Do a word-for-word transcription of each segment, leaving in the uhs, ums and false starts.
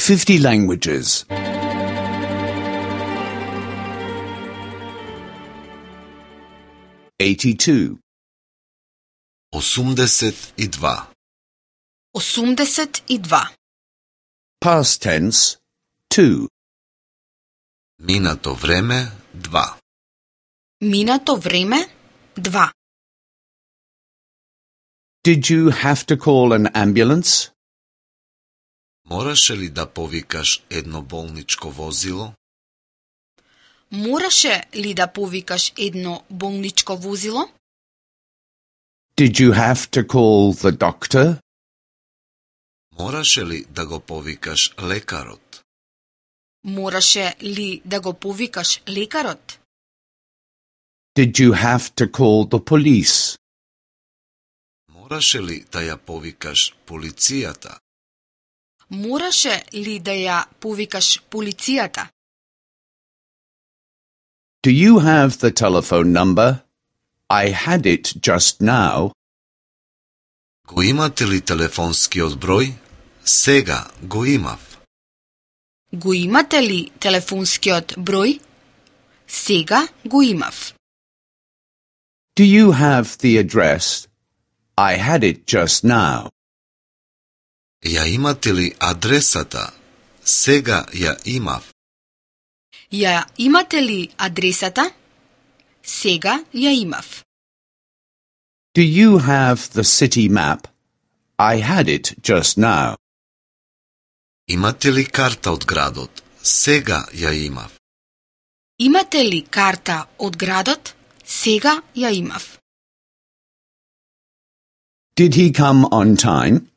fifty languages. eighty-two. осумдесет и два. осумдесет и два. Past tense, two. Минато време, два. Минато време, два. Did you have to call an ambulance? Мораше ли да повикаш едно болничко возило? Мораше ли да повикаш едно болничко возило? Did you have to call the doctor? Мораше ли да го повикаш лекарот? Мораше ли да го повикаш лекарот? Did you have to call the police? Мораше ли да ја повикаш полицијата? Мораше ли да ја повикаш полицијата? Do you have the telephone number? I had it just now. Го имате ли телефонскиот број? Сега го имав. Го имате ли телефонскиот број? Сега го имав. Do you have the address? I had it just now. Ја имате ли адресата? Сега ја имав. Ја имате ли адресата? Сега ја имав. Do you have the city map? I had it just now. Имате ли карта од градот? Сега ја имав. Имате ли карта од градот? Сега ја имав. Did he come on time?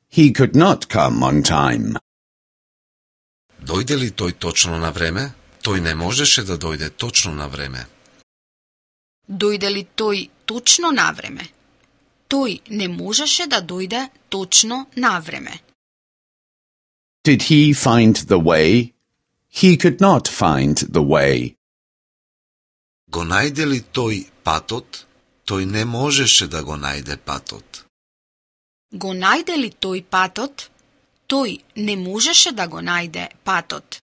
He could not come on time. Дојде ли тој точно на време? Тој не можеше да дојде точно на време. Дојде ли тој точно на време? Тој не можеше да дојде точно на време. Did he find the way? He could not find the way. Го најде ли тој патот? Тој не можеше да го најде патот. Го најде ли тој патот? Тој не можеше да го најде патот.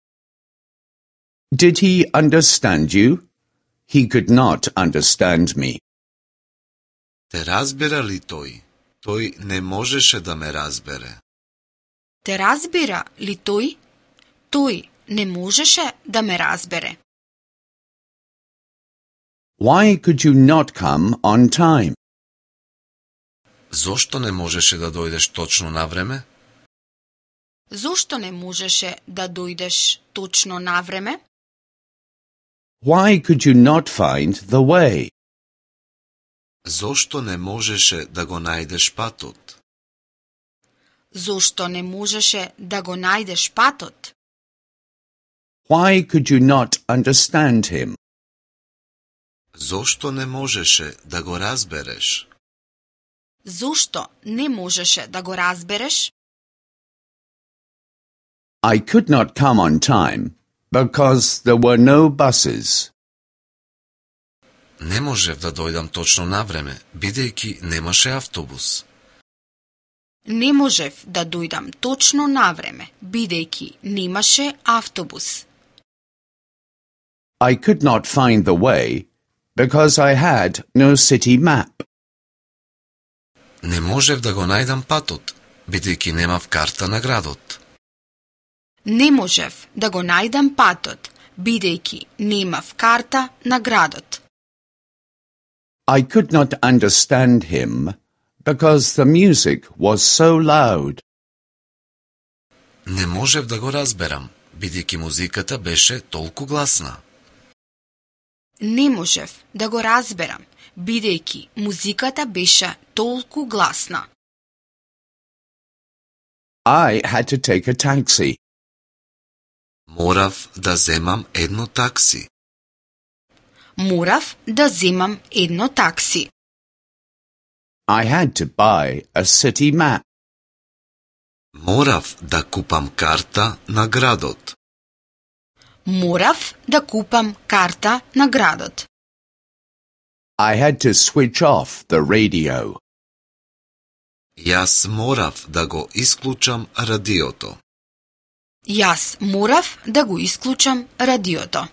Did he understand you? He could not understand me. Те разбира ли тој? Тој не можеше да ме разбере. Те разбира ли тој? Тој не можеше да ме разбере. Why could you not come on time? Зошто не можеше да дојдеш точно на време? Зошто не можеше да дојдеш точно на време? Why could you not find the way? Зошто не можеше да го најдеш патот? Зошто не можеше да го најдеш патот? Why could you not understand him? Зошто не можеше да го разбереш? Зошто не можеше да го разбереш? I could not come on time because there were no buses. Не можев да дојдам точно на време, бидејќи немаше автобус. Не можев да дојдам точно на време, бидејќи немаше автобус. I could not find the way because I had no city map. Не можев да го најдам патот, бидејќи немав карта на градот. Не можев да го најдам патот, бидејќи немав карта на градот. I could not understand him because the music was so loud. Не можев да го разберам, бидејќи музиката беше толку гласна. Не можев да го разберам, бидејќи музиката беше толку гласна. I had to take a taxi. Морав да земам едно такси. Морав да земам едно такси. I had to buy a city map. Морав да купам карта на градот. Морав да купам карта на градот. I had to switch off the radio. Јас морав да го исклучам радиото. Јас морав да го исклучам радиото.